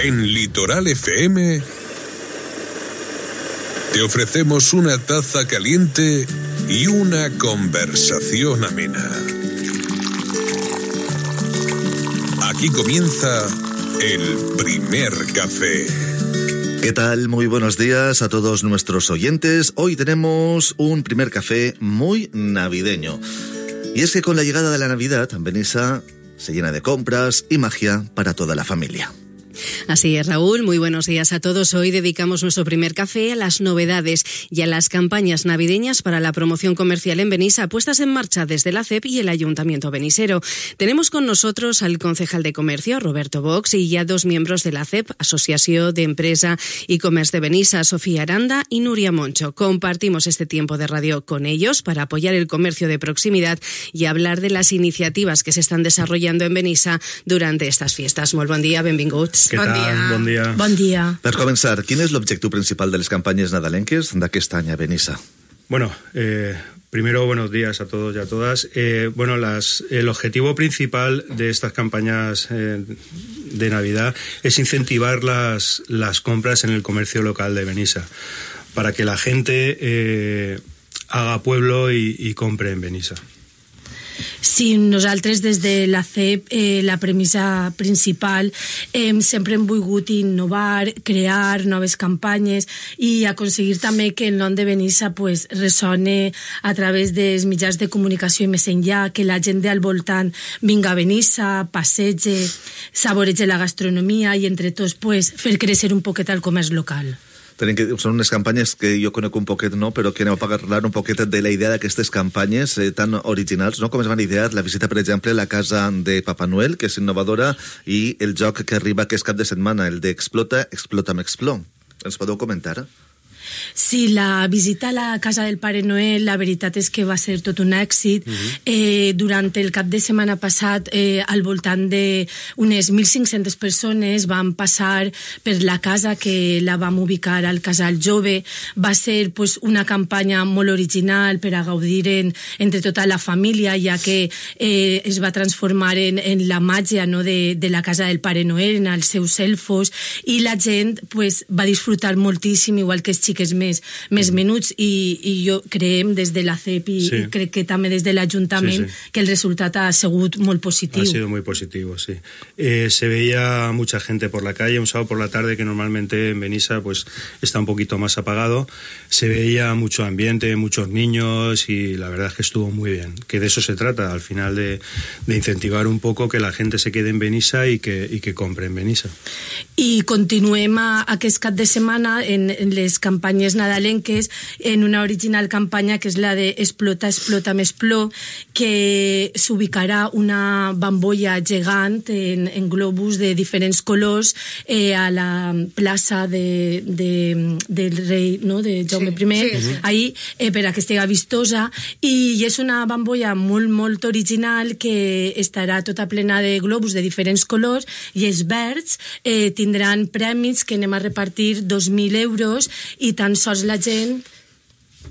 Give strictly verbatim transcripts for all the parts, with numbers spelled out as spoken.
En Litoral F M te ofrecemos una taza caliente y una conversación amena. Aquí comienza el primer café. ¿Qué tal? Muy buenos días a todos nuestros oyentes. Hoy tenemos un primer café muy navideño. Y es que con la llegada de la Navidad, Benissa se llena de compras y magia para toda la familia. Así es, Raúl. Muy buenos días a todos. Hoy dedicamos nuestro primer café a las novedades y a las campañas navideñas para la promoción comercial en Benissa, puestas en marcha desde la C E P y el Ayuntamiento benisero. Tenemos con nosotros al concejal de Comercio, Roberto Box, y ya dos miembros de la C E P, Asociación de Empresa y Comercio de Benissa, Sofía Aranda y Nuria Moncho. Compartimos este tiempo de radio con ellos para apoyar el comercio de proximidad y hablar de las iniciativas que se están desarrollando en Benissa durante estas fiestas. Molt bon dia, benvinguts. Què tal? Bon dia. Bon dia. Per començar, quin és l'objectiu principal de les campanyes nadalenques d'aquest any a Benissa? Bueno, eh, primero buenos días a todos y a todas. Eh, bueno, las, el objetivo principal de estas campañas eh, de Navidad es incentivar las, las compras en el comercio local de Benissa, para que la gente eh, haga pueblo y, y compre en Benissa. Sí, nosaltres des de la C E P eh, la premissa principal eh, sempre hem volgut innovar, crear noves campanyes i aconseguir també que el nom de Benissa pues, ressone a través dels mitjans de comunicació i més enllà, que la gent al voltant vinga a Benissa, passege, saborege la gastronomia i entre tots pues, fer créixer un poquet el comerç local. Tenen que, són unes campanyes que jo conec un poquet, no? Però que anem a parlar un poquet de la idea d'aquestes campanyes eh, tan originals, no? Com es van idear la visita, per exemple, a la casa de Papa Noel, que és innovadora, i el joc que arriba aquest cap de setmana, el d'Explota, Explota m'Expló. Ens podeu comentar? Sí, la visita a la casa del Pare Noel, la veritat és que va ser tot un èxit. Uh-huh. eh, durant el cap de setmana passat, eh, al voltant d'unes mil cinc-centes persones van passar per la casa, que la vam ubicar al Casal Jove. Va ser pues, una campanya molt original per a gaudir en, entre tota la família, ja que eh, es va transformar en, en la màgia, no, de, de la casa del Pare Noel, en els seus elfos, i la gent pues, va disfrutar moltíssim, igual que els xics més, més menuts, i, i jo creiem des de la C E P i, sí. i crec que també des de l'Ajuntament sí, sí. que el resultat ha sigut molt positiu. Ha sido muy positivo, sí. Eh, se veía mucha gente por la calle un sábado por la tarde, que normalmente en Benissa pues, está un poquito más apagado. Se veía mucho ambiente, muchos niños, y la verdad es que estuvo muy bien. Que de eso se trata, al final, de, de incentivar un poco que la gente se quede en Benissa y que, y que compre en Benissa. I continuem a, aquest cap de setmana en, en les campanyes nadalenques, en una original campanya que és la de Explota, Explota m'Expló, que s'ubicarà una bambolla gegant en, en globus de diferents colors eh, a la plaça de, de, del rei, no?, de Jaume sí, I, sí, sí. ahí, eh, per a que estigui vistosa, i és una bambolla molt, molt original que estarà tota plena de globus de diferents colors, i els verds eh, tindran premis que anem a repartir dos mil euros, i tan sols la gent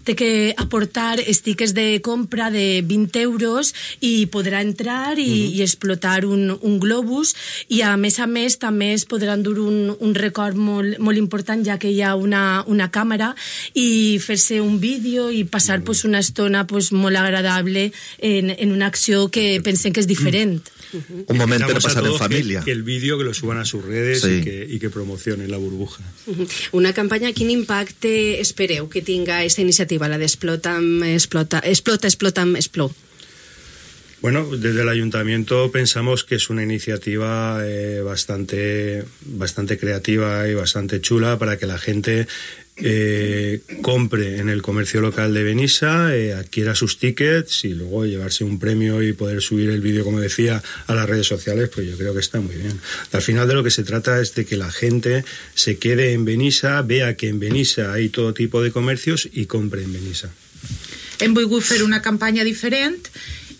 té que aportar estiques de compra de vint euros i podrà entrar i, uh-huh. i explotar un, un globus, i a més a més també es podrà endur un, un record molt, molt important, ja que hi ha una, una càmera, i fer-se un vídeo i passar uh-huh. pues, una estona pues, molt agradable en, en una acció que pensem que és diferent. Uh-huh. Un moment per passar en família. Que, que el vídeo que lo suban a sus redes sí. y, que, y que promocionen la burbuja. Uh-huh. Una campanya, quin impacte espereu que tinga aquesta iniciativa, la d'Explota, Explota, Explota, Explota, Expló? Bueno, desde el Ayuntamiento pensamos que es una iniciativa eh, bastante, bastante creativa y bastante chula para que la gente eh, compre en el comercio local de Benissa, eh, adquiera sus tickets y luego llevarse un premio y poder subir el vídeo, como decía, a las redes sociales. Pues yo creo que está muy bien. Al final de lo que se trata es de que la gente se quede en Benissa, vea que en Benissa hay todo tipo de comercios y compre en Benissa. Hem volgut fer una campanya diferent.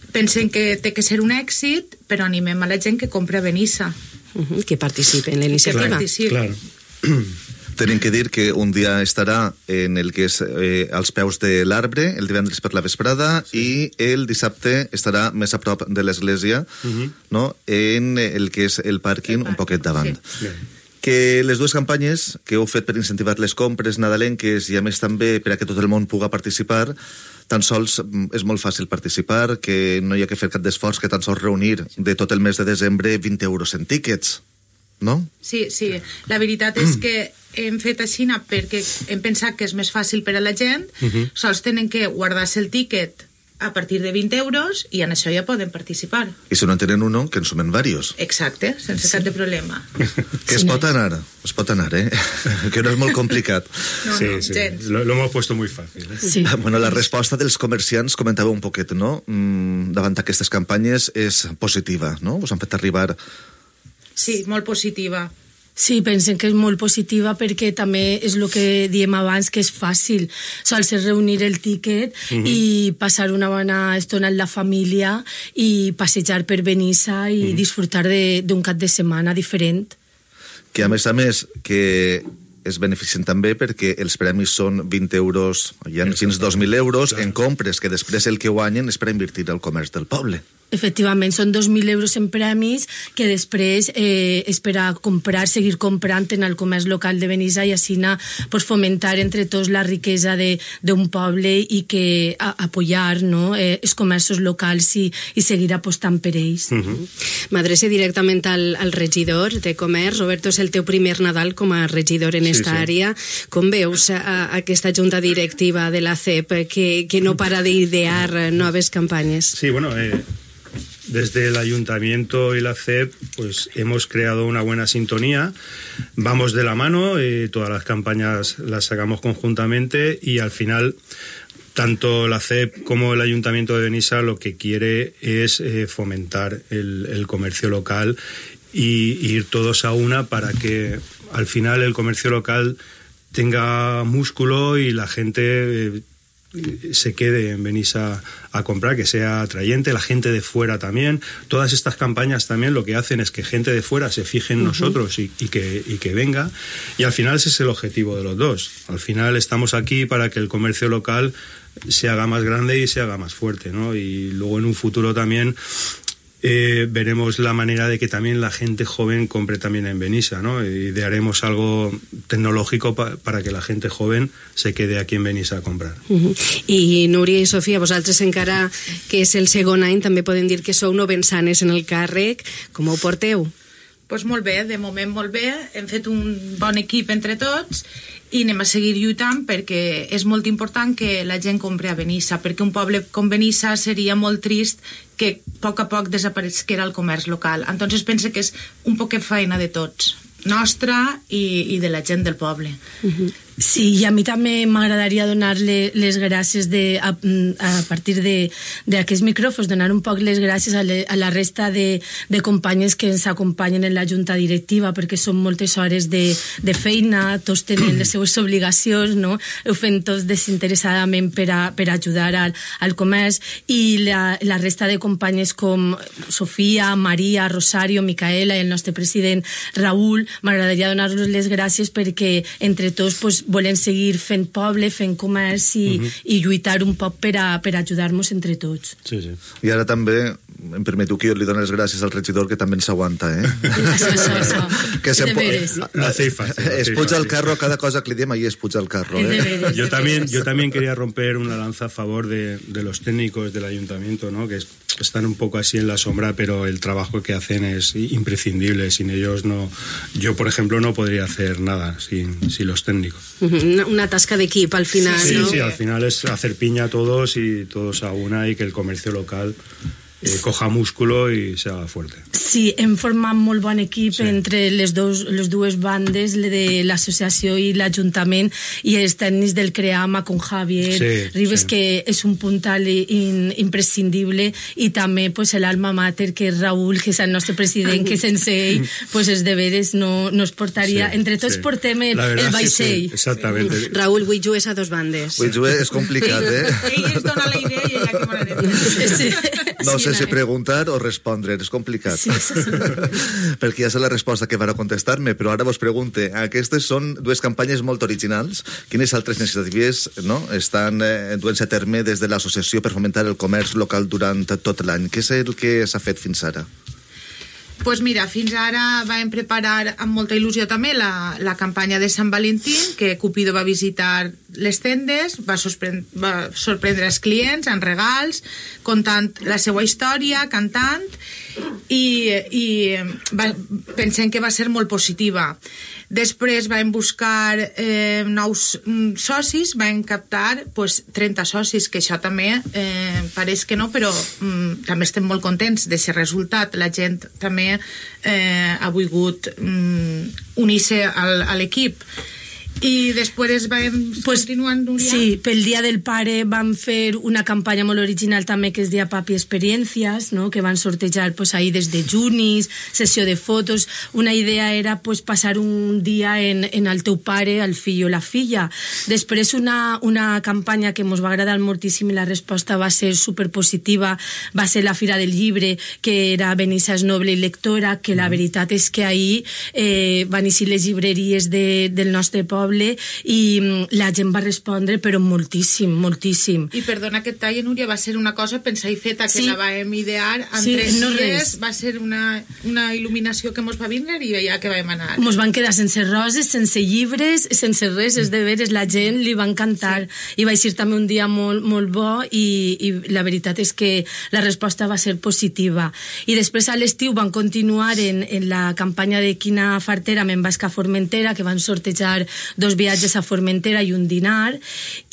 Pensem que té que ser un èxit, però animem a la gent que compra a Benissa. Uh-huh, que participe en la iniciativa. Claro, claro. Tenim que dir que un dia estarà en el que és eh, als peus de l'arbre, el divendres per la vesprada, sí. i el dissabte estarà més a prop de l'església, uh-huh. no? En el que és el pàrquing un poquet davant. Sí. Que les dues campanyes que heu fet per incentivar les compres nadalenques i a més també per a que tot el món puga participar, tan sols és molt fàcil participar, que no hi ha que fer cap d'esforç, que tan sols reunir de tot el mes de desembre vint euros en tíquets, no? Sí, sí. La veritat és que hem fet així perquè hem pensat que és més fàcil per a la gent, uh-huh. sols tenen que guardar-se el tíquet a partir de vint euros i en això ja poden participar. I si no en tenen uno, que en sumen varios. Exacte, sense sí. cap de problema. Que es pot anar, es pot anar, eh? Que no és molt complicat. No, sí, no, sí. gens. Lo, lo hemos puesto muy fácil. Eh? Sí. Bueno, la resposta dels comerciants, comentava un poquet, no? Mm, davant d'aquestes campanyes és positiva, no? Us han fet arribar... Sí, molt positiva. Sí, pensen que és molt positiva perquè també és el que diem abans, que és fàcil. Sols és reunir el tíquet uh-huh. i passar una bona estona amb la família i passejar per Benissa i uh-huh. disfrutar d'un cap de setmana diferent. Que a més a més que es beneficien també perquè els premis són vint euros, hi ha fins dos mil euros en compres, que després el que guanyen és per invertir al comerç del poble. Efectivament, són dos mil euros en premis que després eh, és per a comprar, seguir comprant en el comerç local de Benissa i així anar, pues, fomentar entre tots la riquesa d'un poble i que a, apoyar, no, eh, els comerços locals i, i seguir apostant per ells. Uh-huh. M'adrece directament al, al regidor de comerç. Roberto, és el teu primer Nadal com a regidor en esta sí, sí. àrea. Com veus a, a aquesta junta directiva de la C E P que, que no para d'idear noves campanyes? Sí, bueno... Eh... Desde el Ayuntamiento y la C E P pues hemos creado una buena sintonía, vamos de la mano, eh, todas las campañas las sacamos conjuntamente y al final tanto la C E P como el Ayuntamiento de Benissa lo que quiere es eh, fomentar el, el comercio local y, y ir todos a una para que al final el comercio local tenga músculo y la gente... Eh, se quede en Benissa a comprar, que sea atrayente, la gente de fuera también. Todas estas campañas también lo que hacen es que gente de fuera se fije en uh-huh. nosotros y, y, que, y que venga, y al final ese es el objetivo de los dos. Al final estamos aquí para que el comercio local se haga más grande y se haga más fuerte, ¿no? Y luego en un futuro también Eh, veremos la manera de que también la gente joven compre también en Benissa, ¿no? Idearemos algo tecnológico pa para que la gente joven se quede aquí en Benissa a comprar. Uh-huh. I Núria i Sofia, vosaltres encara que és el segon any, també podem dir que sou novensanes en el càrrec. Com ho porteu? Pues molt bé, de moment molt bé. Hem fet un bon equip entre tots i anem a seguir lluitant perquè és molt important que la gent compri a Benissa, perquè un poble com Benissa seria molt trist que a poc a poc desapareguera el comerç local. Entonces pense que és un poquet feina de tots, nostra i, i de la gent del poble. Uh-huh. Sí, i a mi també m'agradaria donar-le les gràcies de, a, a partir d'aquests micròfons, donar un poc les gràcies a, le, a la resta de, de companyes que ens acompanyen en la junta directiva, perquè són moltes hores de, de feina, tots tenen les seues obligacions, no? Ho fem tots desinteressadament per, a, per ajudar al, al comerç, i la, la resta de companyes com Sofia, Maria, Rosario, Micaela i el nostre president Raül, m'agradaria donar-los les gràcies perquè entre tots pues, volem seguir fent poble, fent comerç i, uh-huh. i lluitar un poc per, a, per ajudar-nos entre tots. Sí, sí. I ara també em permeto que jo li doni les gràcies al regidor, que també ens aguanta, eh? Això, això, això. Que se Lo hacéis fácil. Es puja al carro, cada cosa que li diem ahí es puja al carro, ¿eh? Yo también, yo también quería romper una lanza a favor de, de los técnicos del ayuntamiento, ¿no? Que es, están un poco así en la sombra, pero el trabajo que hacen es imprescindible. Sin ellos no... Yo, por ejemplo, no podría hacer nada sin, sin los técnicos. Una, una tasca d'equip al final, sí, ¿no? Sí, sí, al final es hacer piña a todos y todos a una y que el comercio local eh, coja músculo i se haga fuerte. Sí, hem format molt bon equip sí. entre les, dos, les dues bandes de l'associació i l'Ajuntament i els tècnics del CREAMA con Javier sí, Ribes, sí. que és un puntal in, imprescindible, i també pues, l'alma mater, que és Raül, que és el nostre president, que sense ell pues, els deberes no, no es portaria. Sí, entre tots sí. portem el, el vaixell. Sí, exactament. Sí. Raül, vull jugar a dos bandes. Vull jugar és complicat, eh? Ell ens dona la idea i ella que me la diu. Sí. No sé si preguntar o respondre, és complicat. Sí, sí, sí. Perquè ja sé la resposta que van a contestar-me, però ara vos pregunte, aquestes són dues campanyes molt originals. Quines altres iniciatives no, estan eh, duent-se a terme des de l'associació per fomentar el comerç local durant tot l'any? Què és el que s'ha fet fins ara? Pues mira, fins ara vam preparar amb molta il·lusió també la, la campanya de Sant Valentín, que Cupido va visitar les tendes, va, sorprendre, va sorprendre els clients amb regals, contant la seva història, cantant, i, i va, pensem que va ser molt positiva. Després vam buscar eh, nous mm, socis, vam captar pues, trenta socis, que això també eh, pareix que no, però mm, també estem molt contents d'aquest resultat. La gent també eh, ha volgut mm, unir-se al, a l'equip. I després vam pues, continuar, Núria? Sí, pel Dia del Pare vam fer una campanya molt original també que es deia Papi Experiències, no? Que van sortejar pues, ahí des de junis, sessió de fotos. Una idea era pues, passar un dia en, en el teu pare, el fill o la filla. Després una, una campanya que ens va agradar moltíssim i la resposta va ser superpositiva, va ser la Fira del Llibre, que era Benissa és noble i lectora, que la veritat és que ahir eh, van eixir les llibreries de, del nostre poble i la gent va respondre però moltíssim, moltíssim. I perdona que et talli, Núria, va ser una cosa pensar i feta, que sí. La vam idear en sí, tres no dies, res. Va ser una, una il·luminació que mos va vindre i ja que vam anar. Mos van quedar sense roses, sense llibres, sense res, és de veres, la gent li va encantar, sí. I va ser també un dia molt, molt bo i, i la veritat és que la resposta va ser positiva. I després a l'estiu van continuar en, en la campanya de Quina fartera me'n vas a Formentera, que van sortejar dos viatges a Formentera i un dinar,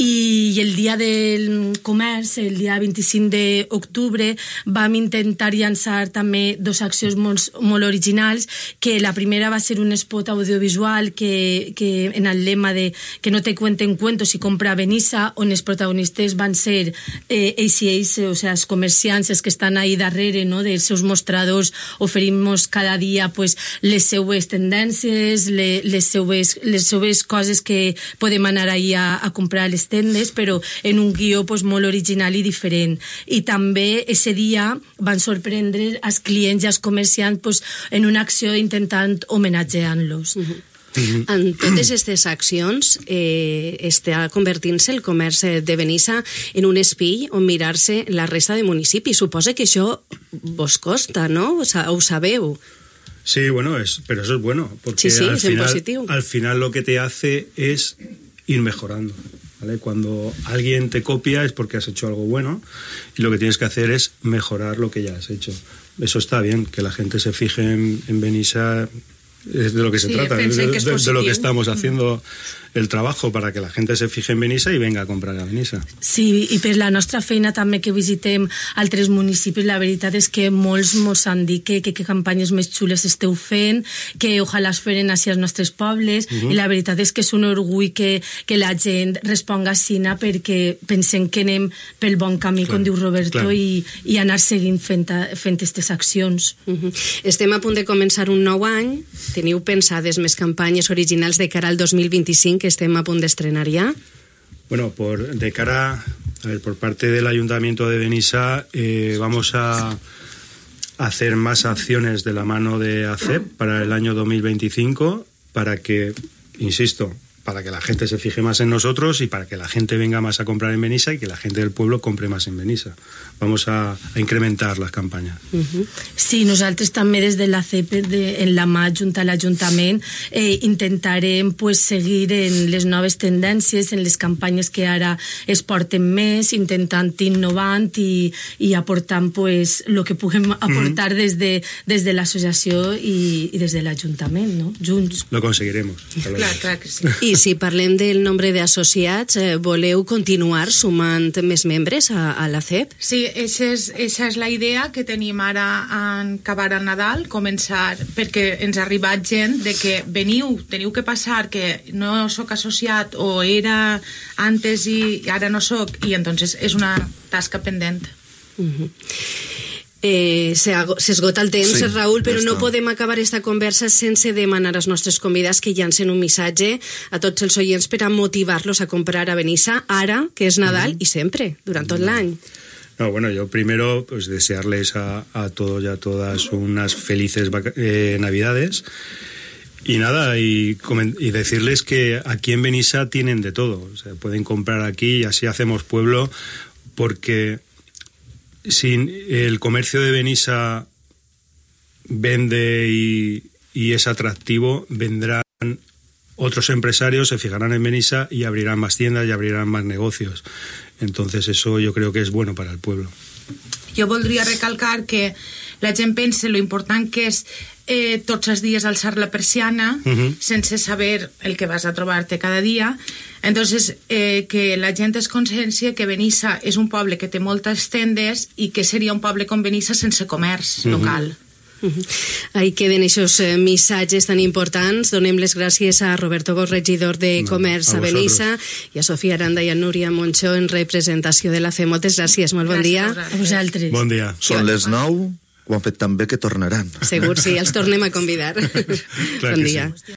i el dia del comerç, el dia vint-i-cinc d'octubre, vam intentar llançar també dos accions molt, molt originals, que la primera va ser un spot audiovisual que, que en el lema de que no te cuenten cuentos i compra a Benissa, on els protagonistes van ser eh, ells i ells, o sigui, els comerciants, els que estan ahí darrere, no?, dels seus mostradors, oferim-nos cada dia pues, les seues tendències, les, les seues, les seues coses que podem anar ahí a, a comprar a les tendes, però en un guió pues, molt original i diferent. I també ese dia van sorprendre els clients i els comerciants pues, en una acció intentant homenatgeant-los. Uh-huh. En totes aquestes accions eh, està convertint-se el comerç de Benissa en un espill on mirar-se la resta de municipis. Suposa que això vos costa, ¿no? O sea, ho sabeu. Sí, bueno, es, pero eso es bueno, porque sí, sí, al, es final, positivo. Al final lo que te hace es ir mejorando, ¿vale? Cuando alguien te copia es porque has hecho algo bueno y lo que tienes que hacer es mejorar lo que ya has hecho. Eso está bien, que la gente se fije en, en Benissa, es de lo que se sí, trata, de, que de, de lo que estamos haciendo el trabajo para que la gente se fije en Benissa i venga a comprar a Benissa. Sí, i per la nostra feina també que visitem altres municipis, la veritat és que molts mos han dit que, que, que campanyes més xules esteu fent, que ojalà es feren hacia els nostres pobles, uh-huh. I la veritat és que és un orgull que, que la gent responga sina perquè pensem que anem pel bon camí, clar, com diu Roberto, clar. i, i anar seguint fent aquestes accions. Uh-huh. Estem a punt de començar un nou any, teniu pensades més campanyes originals de cara al dos mil vint-i-cinc que estem a punt d'estrenar ya? Bueno, por, de cara, a ver, por parte del Ayuntamiento de Benissa eh, vamos a hacer más acciones de la mano de A C E P para el año dos mil veinticinco para que, insisto, para que la gente se fije más en nosotros y para que la gente venga más a comprar en Benissa y que la gente del pueblo compre más en Benissa. Vamos a, a incrementar las campañas. Uh-huh. Sí, nosaltres també des de la C E P, de, en la mà junta a l'Ajuntament, eh, intentarem pues, seguir en les noves tendències, en les campanyes que ara es porten més, intentant innovant i, i aportant pues, el que puguem aportar uh-huh. des de, des de l'associació i, i des de l'Ajuntament, no? Junts. Lo conseguiremos. Clar, clar que sí. I si parlem del nombre d'associats, eh, voleu continuar sumant més membres a, a la C E P? Sí, Eixa és, eixa és la idea que tenim ara en acabar el Nadal, començar, perquè ens ha arribat gent de que veniu, teniu que passar, que no sóc associat o era antes i ara no sóc, i entonces és una tasca pendent. Uh-huh. Eh, s'esgota el temps, sí, Raül, però no podem acabar esta conversa sense demanar als nostres convidats que llancen un missatge a tots els oients per a motivar-los a comprar a Benissa ara, que és Nadal, uh-huh. i sempre, durant tot l'any. No, bueno, yo primero pues desearles a, a todos y a todas unas felices eh, Navidades y nada, y, y decirles que aquí en Benissa tienen de todo, o sea, pueden comprar aquí y así hacemos pueblo, porque sin el comercio de Benissa vende y, y es atractivo, vendrán otros empresarios, se fijarán en Benissa y abrirán más tiendas y abrirán más negocios. Entonces eso yo creo que es bueno para el pueblo. Jo voldria recalcar que la gent pensa lo important que és eh, tots els dies alçar la persiana uh-huh. sense saber el que vas a trobar-te cada dia. Entonces, eh, que la gent es consciència que Benissa és un poble que té moltes tendes i que seria un poble com Benissa sense comerç uh-huh. local. Uh-huh. Ahí queden esos eh, missatges tan importants. Donem les gràcies a Roberto Bosch, regidor de no, Comerç a, a Benissa, i a Sofia Aranda i a Núria Monchó en representació de la C E. Moltes gràcies, molt bon gràcies dia. A vosaltres. Bon dia. Són les nou, ho han fet tan bé que tornaran. Segur, sí, els tornem a convidar. Clar bon que dia. Sí.